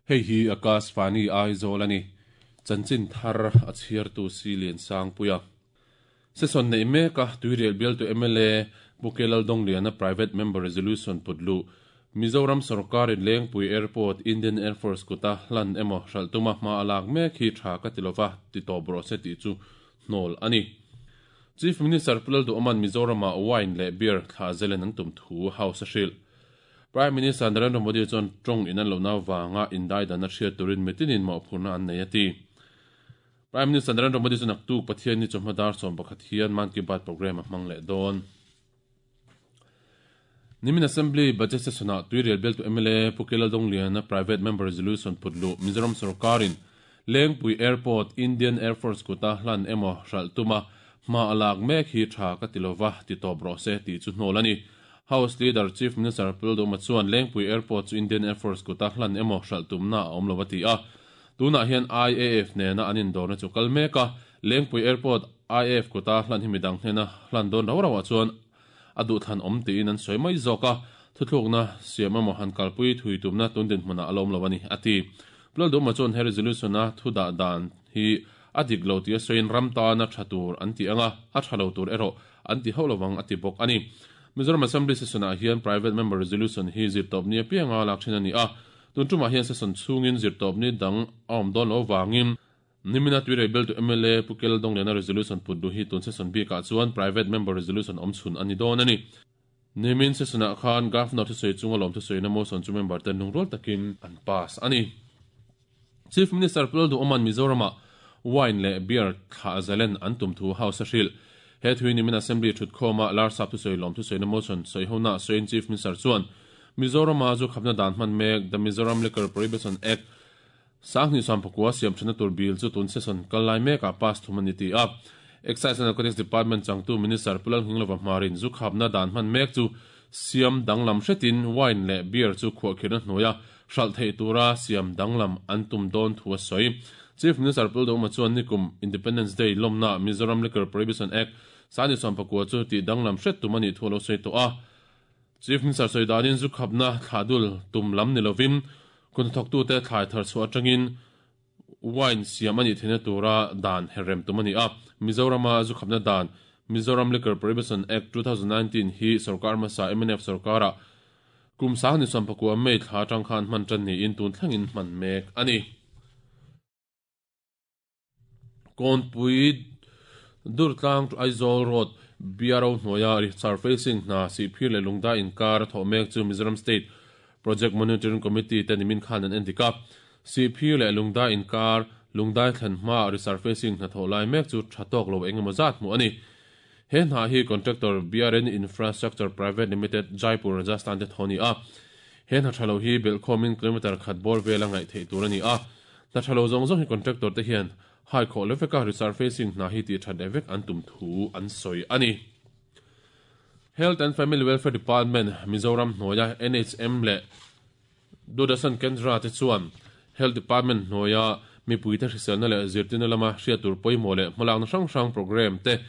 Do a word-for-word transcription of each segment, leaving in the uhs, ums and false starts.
Hei hi Akashvani Aizawl ani chanchin thar a chhiar tu si lian sang puia session nei meka tuirial bial tu M L A Pukelal Dongliana private member resolution putlu Mizoram sarkar in Lengpui Airport Indian Air Force kuta hlan emo hraltuma hma alak mek hi tha ka tilova ti to bro se ti chu hnol ani Chief Minister Pulal du Oman Mizorama wine le beer thla zelen an tum thu house hril Prime Minister Narendra Modi chuan tong in an lo na wanga indai dan a hriat turin mitinin ma phurna an nei ati Prime Minister Narendra Modi chuan aktuk Pathian ni chawhma som pakhat hian Man Ki Baat program a hmang leh dawn Nimin Assembly Budget Session a tuirial bel tu M L A Pukelal Dongliana private member resolution putlu Mizoram sarkarin Lengpui Airport Indian Air Force kuta hlan emo hraltuma hma alak mek hi tha ka tilova ti to bro se ti chu hnol ani House Leader Chief Minister Puldo chuan Lengpui Airport chu Indian Air Force kuta hlan emo hraltumna a awm lova ti a tuna hian I A F nena anin dorna chu kal meka Lengpui Airport I A F kuta hlan hi midang hnena hlan don ro rawa chuan adu than om ti in an soi mai zoka thuthlukna siam emaw han kalpui thui tumna tundin hmuna alawm lo ani ati Puldo chuan he resolution a thuda dan hi adik lo ti a soin ram ta na thatur an ti anga a thalo tur ero an ti holowang ati bok ani Mizoram Assembly session a hian private member resolution hi zirtop ni apianga lak thin ani a tun tuma hian session chungin zirtop ni dang awm don lo wangin nimina tuire bel to M L A Pukel Dongliana resolution putdu hi tun session bi ka chuan private member resolution awm chhun ani don ani nimin session a khan governor thu sei chunga lom thu sei na motion chu member ten lungrol takin an pass ani Chief Minister Pulal du Oman Mizorama wine le beer thla zalen an tum thu house hril he thui nimin assembly thut khoma lar sap thu sei lom thu sei na motion sei hona sein Chief Minister chuan Mizorama chu khapna dan hman mek the Mizoram Liquor Prohibition Act sangni sampakwa siam thana tur bill chu tun session kalai meka pass thumani ti a Excise and Narcotics Department changtu Minister Pulal Hinglova marin zu khapna dan hman mek chu siam danglam hretin wine le beer chu khuwa khirna hnoya hral thei tura siam danglam an tum don thua soi Chief Minister Pulal Doma chuan nikum Independence Day lomna Mizoram Liquor Prohibition Act sani sampakwa chu ti danglam hret tumani thulo sei to a Chief Minister soi danin zu khapna thadul tum lam nilovin kun thok tu te thlai thar chu atangin wine siam ani thena tura dan herem tumani a Mizorama zu khapna dan Mizoram Liquor Prohibition Act twenty nineteen hi sarkar ma sa M N F sarkara kum sang ni sampakwa mei thla tang khan man tan ni in tun thlangin man mek ani Konpui Durtlang to Aizawl Road B R O hnoya surfacing na si phir le lungda in kar tho mek chu Mizoram State Project Monitoring Committee te nimin khan an endika si phir le lungda in kar lungdai thlan hma resurfacing na tho lai mek chu thatok lo engemaw zat mu ani he hna hi contractor B R N Infrastructure Private Limited Jaipur Rajasthan te thoni a he hna thalo hi belkhomin kilometer khat bor vela ngai thei tur ani a na thalo zong zong hi contractor te hian hai kho leveka resurfacing na hi ti that evek an tum thu an soi ani Health and Family Welfare Department Mizoram hnoya N H M le Dodasan Kendra te chuan Health Department hnoya mipui te hriselna le zirtina lama hriatur pawimawh leh hmalakna hrang hrang program te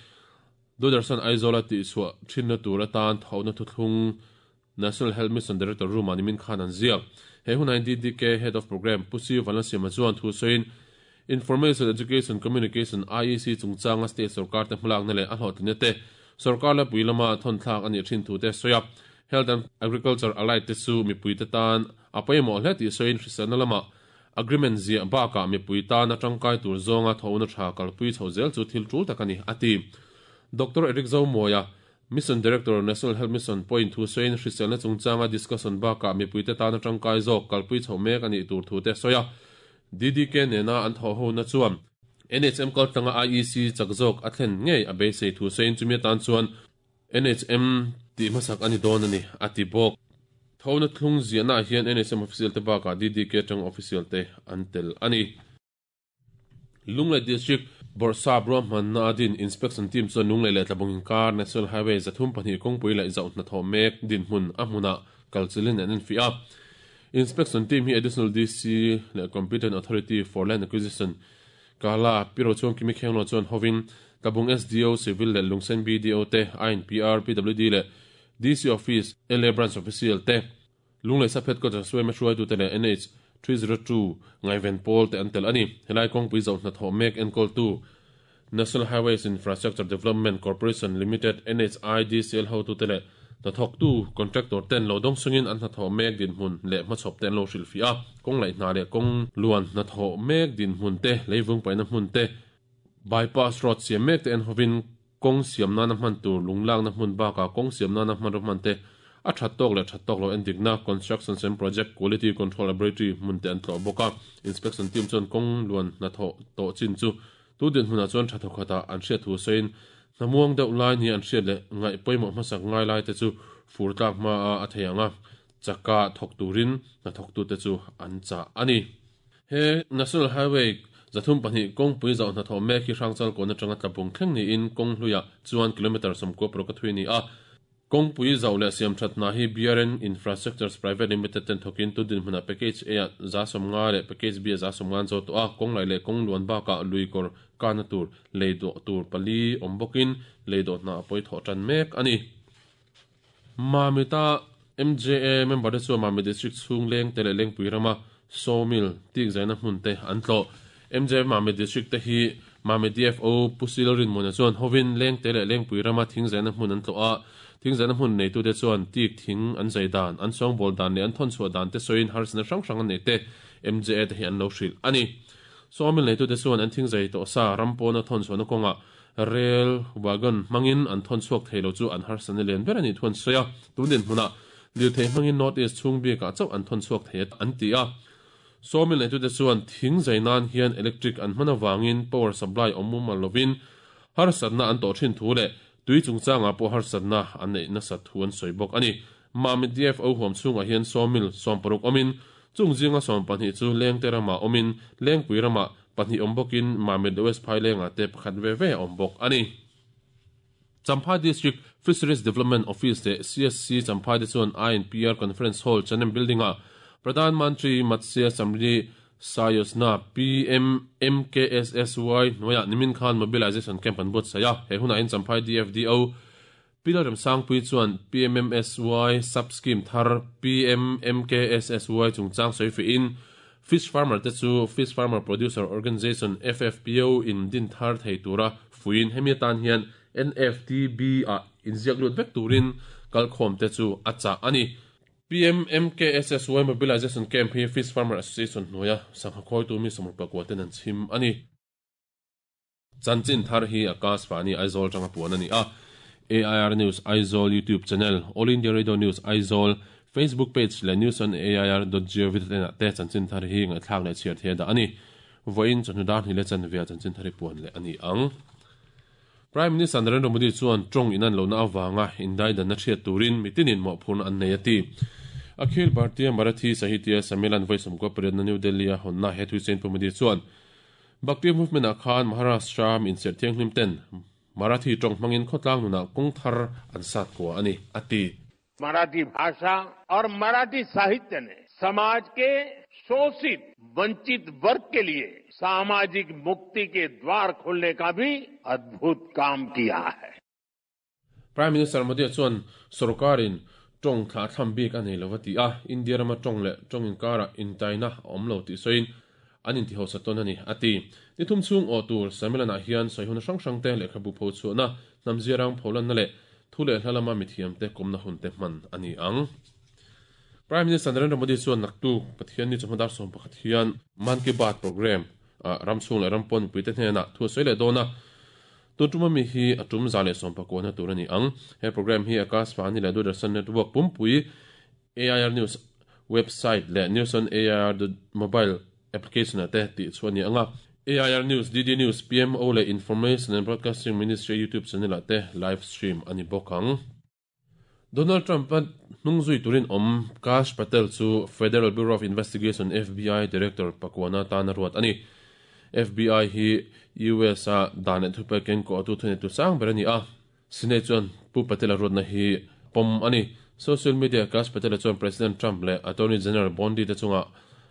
Dodasan Aizawl ti chhuah thinna tur atan thawhna thuthlung National Health Mission Director Ruma nimin khan an ziak he hunai D D K Head of Program Pusi Vanlasiama chuan thu sawiin Information Education Communication I E C chungchanga state sarkar te hmalakna leh a hlawhtlinna te sarkar la pui lama thawn thlak ani thin thu te sawi a Health and Agriculture allied te chu mipui te tan a pawimawh hle tih sawiin hriselna lama agreement zia baka mipui tan atangkai tur zawnga thawhna tha kalpui chho zel chu thil tul tak ani ati Doctor Eric Zomoya Mission Director National Health Mission point thu sawiin hriselna chungchanga discussion baka mipui te tan atangkai zawk kalpui chho mek ani tur thu te sawi a D D K nena an thaw ho na chuan N H M kaltanga I E C chakzawk a thlen ngei a beisei thu sawiin chumi tan chuan N H M ti hmasak ani dawn ani ati bawk thawhna thlung ziahna hian N H M official te bakah D D K tang official te an tel ani Lunglei District Borsap ruahmanna adin inspection team chuan Lunglei leh Tlabung inkar National Highway zathum pahnih kawngpui leh zauhna thaw mek dinhmun a hmuna kalchilin an enfi a Inspection team hi additional D C le competent authority for land acquisition kala piro chuan kimi khenglo chuan hovin Tlabung S D O Civil le Lungsen B D O te I N P R P W D le D C Office L A Branch Official te Lunglei Saphet ko Jaswe me hruai tu te le N H three zero two Ngaiven Paul te antel ani helai kawngpui zo hna thawh mek enkawl tu National Highways Infrastructure Development Corporation Limited N H I D C L ho tu te le hna thawk tu contractor ten lo dawng sungin an hna thawh mek din hmun le hmachhawp te an lo hrilh fi a kawng laih hna leh kawng luan hna thawh mek din hmun te leivung paihna hmun te bypass road siam mek te en hovin kawng siam nana hman tur lunglakna hmun bakah kawng siam nana hman rawh hman te a that tawk leh that tawk lo en dikna construction and project quality control laboratory hmun te an tlawh bawk a inspection team chuan kawng luan hna thawh tawh chin chu tu din hmunah chuan tha thawk khatah an hriat thu sawiin hnamuang deuh lai ni an hriat leh ngaih pawimawh hmasak ngai lai te chu fur tlak hma a a thei ang a chaka thawk turin hna thawk tu te chu an chah ani he National Highway zathum pahnih kawngpui zauh hna thawh mek hi Hrangchal kawn atanga Tlabung thleng niin kawng hluiah chuan kilometer sawmkua paruk a thui ni a kawngpui zauh leh siam that hna hi B R N Infrastructures Private Limited ten thawkin tu din hmunah package A ah za sawmnga leh package B ah za sawmnga an zo tawh a kawng laih leh kawng luan bakah lui kawr kana tur lei dawh tur pali awm bawkin lei dawh hna a pawi thawh tan mek ani Mamita M J A member te chuan Mami District chhung leng te leh Lengpui rama sawmill tik zaina hmun te an tlawh M J A Mami District te hi Mami D F O Pusil Rinmuna chuan hovin leng te leh Lengpui rama thing zaina hmun an tlawh a thing zaina hmun neitu te chuan tik thing an zai dan an sawngbawl dan leh an thawn chhuah dan te sawiin harsatna hrang hrang an nei te M J A te hi an lo hrilh ani sawmill neitu te chuan an thing zai tawh sa ram pawna thawn chhuahna kawngah rail wagon hmangin an thawn chhuak thei lo chu an harsatna lian ber ani thuan sawi a tun din hmunah lirthei hmangin North East chhung bikah chauh an thawn chhuak thei an ti a sawmill neitu te chuan thing zai nan hian electric an hman awangin power supply awm mumal lovin harsatna an tawh thin thu leh tui chungchangah pawh harsatna an neih nasa thu an sawi bawk ani Mami D F O huam chhungah hian sawmill sawm paruk awmin chung zinga sawm pahnih chu Lengte ramah awmin Lengpui ramah pahnih awm bawkin Mami West Phai lengah te pakhat ve ve awm bawk ani Champhai District Fisheries Development Office te C S C Champhai te chuan I N P R Conference Hall Chanem Building ah Pradhan Mantri Matsya Samriddhi Yojana P M M K S S Y hnuaiah nimin khan mobilization camp an buat saia he hunah in Champhai D F D O Pilar Remsangpui chuan P M M S Y sub scheme thar P M M K S S Y chungchang sawi fi in Fish Farmer te chu Fish Farmer Producer Organization F F P O in din thar thei tura fuin hemi atan hian N F T B a inziak lut vek turin kalkhawm te chu a chah ani P M M K S S Y Mobilization Camp hi Fish Farmer Association hnuaia sangha khawi tu mi sawmruk pakua ten an chhim ani Chanchin thar hi Akashvani Aizawl tanga puan ani a A I R News Aizawl YouTube channel All India Radio News Aizawl Facebook page le news on A I R dot gov dot in te chanchin thar hi ngaithlak leh chhiar the da ani voin chawhnu hi le chanvia chanchin thar hi puan leh ani ang Prime Minister Narendra Modi chuan tawng in an lo na awanga indai dan na thiat turin mitinin mawh phurna an nei ati Akhil Bharatiya Marathi Sahitya Sammelan Voice ko pariat na New Delhi a honna he thui chen Modi chuan Bhakti movement a khan Maharashtra min ser thiang hlim ten Marathi tawng hmangin khawtlang nuna kawng thar an sat ko ani ati Marathi भाषा और मराठी साहित्य ने समाज के शोषित वंचित वर्ग के लिए सामाजिक मुक्ति के द्वार खोलने का भी अद्भुत काम किया है। Prime Minister Modi chuan sarkarin tawng thla tham bik ani lovati a India rama tawng leh tawng inkara intaina awm lo ti soin an inti ho saton ani ati nithum chung aw tur sammelana hian soihun hrang hrang te lehkhabu pho chuana namzirang pholan na leh thule hlalama mithiam te komna hun te hman ani ang Prime Minister Narendra Modi chuan naktu Pathian ni chawhmadar sawm pakhat hian Man Ki Baat program a ramchhung leh rampawn pui te hnenah thu sawi leh dawn a tun mi hi a tum za leh sawm pakua na tur ani ang he program hi Akashvani leh Doordarshan Network pumpui A I R News website leh News on A I R mobile application ate ti chuan ni anga A I R News D D News P M O leh Information and Broadcasting Ministry YouTube channel ate live stream ani bawk ang Donald Trump an hnungzui turin awm Kash Patel chu Federal Bureau of Investigation F B I Director pakwana tan ruat ani F B I hi U S a dan leh thupe keng ko tu thune tu sang ber ani a Senate chuan Pu Patel a ruatna hi pawm ani social media Kash Patel chuan President Trump leh Attorney General Bondi te chunga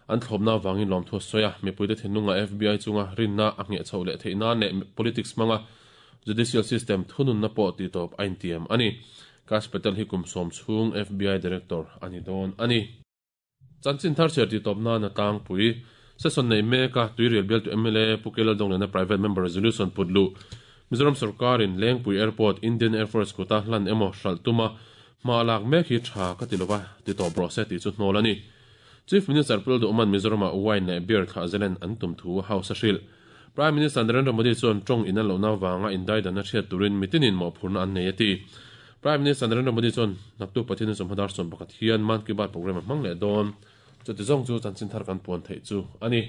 an thlawpna wangin lawm thu sawi a mipui te thinlunga F B I chunga rinna a ngheh chho leh theihna leh politics hmanga Judicial system thunun na pawh ti tawp a intiam ani. Kash Patel hi kum sawm chhung F B I director ani dawn ani. Chanchin thar chhiar ti tawp nan a tlangpui. Session nei meka Tuirial bialtu M L A Pu K Laldawngliana private member resolution put luh. Mizoram sarkarin Lengpui Airport Indian Air Force kuta hlan emaw hralh tuma hma lak mek hi tha ka ti lova ti tawp rawh se tih chu hnawl ani. Chief Minister Pu Lalduhman Mizorama wine leh beer thlah zelen an tum thu House a hrilh. Prime Minister Narendra Modi chuan tawng in an lohna wanga indaidan a hriat turin mitinin mawhphurna an nei a ti. Prime Minister Narendra Modi chuan naktu Pathian sawmhadar sawm pakhat hian Mann Ki Baat program a hmang leh dawn. Chuti zawng chu chanchin thar kan puan theih chu ani.